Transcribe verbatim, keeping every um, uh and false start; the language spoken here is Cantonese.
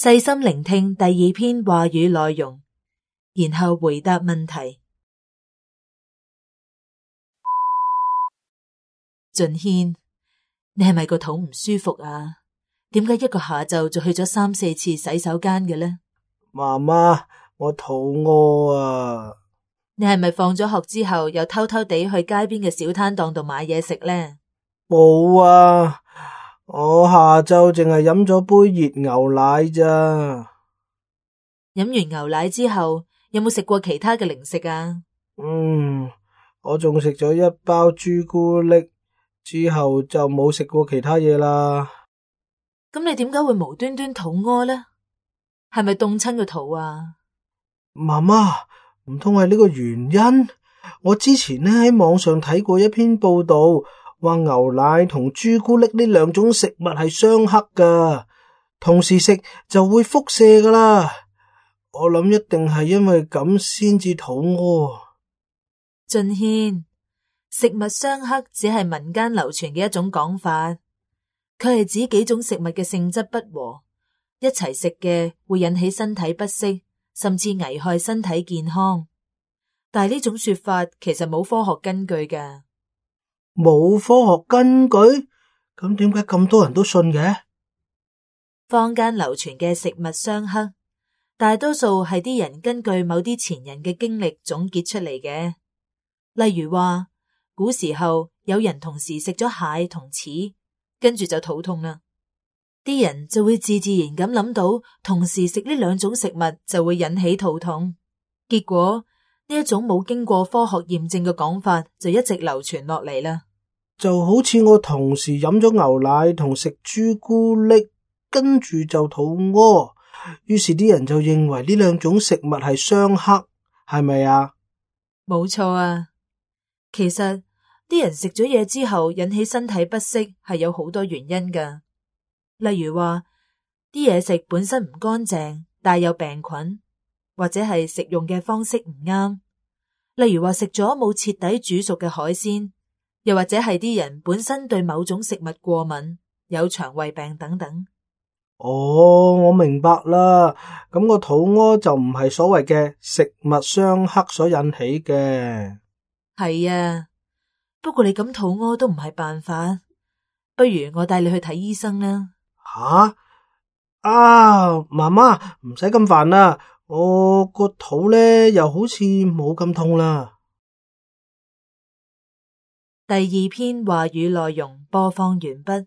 細心聆聽第二篇話語內容，然後回答問題。俊軒，你係咪個肚唔舒服啊？點解一個下晝就去咗三四次洗手間嘅呢？媽媽，我肚餓啊！你係咪放咗學之後又偷偷地去街邊嘅小攤檔度買嘢食呢？冇啊，我下晝淨係飲咗杯熱牛奶咋。飲完牛奶之後，有冇食過其他嘅零食啊？嗯，我仲食咗一包朱古力，之後就冇食過其他嘢啦。咁你點解會無端端肚屙呢？係咪凍親個肚啊？媽媽，唔通係呢個原因？我之前呢喺網上睇過一篇報道，話牛奶同朱古力呢兩種食物係相克噶，同時食就會輻射噶啦。我諗一定係因為咁先至肚屙。俊軒，食物相克只係民間流傳嘅一種講法，佢係指幾種食物嘅性質不和，一齊食嘅會引起身體不適，甚至危害身體健康。但係呢種說法其實冇科學根據嘅。冇科學根據？咁點解咁多人都信嘅？坊間流傳嘅食物相克，大多數係啲人根據某啲前人嘅經歷總結出嚟嘅。例如話，古時候有人同時食咗蟹同柿，跟住就肚痛啦。啲人就會自自然咁諗到，同時食呢兩種食物就會引起肚痛。結果呢一種冇經過科學驗證嘅講法就一直流傳落嚟啦。就好似我同時飲咗牛奶同食朱古力，跟住就肚屙，於是啲人就認為呢兩種食物係相克，係咪啊？冇錯啊。其實啲人食咗嘢之後引起身體不適係有好多原因噶，例如話啲嘢食本身唔乾淨，帶有病菌，或者係食用嘅方式唔啱，例如話食咗冇徹底煮熟嘅海鮮，又或者係啲人本身對某種食物過敏，有腸胃病等等。哦，我明白啦，咁個肚屙就唔係所謂嘅食物相克所引起嘅。係啊，不過你咁肚屙都唔係辦法，不如我帶你去睇醫生啦。吓？啊，媽媽唔使咁煩啦，我個肚咧又好似冇咁痛啦。第二篇話語內容播放完畢。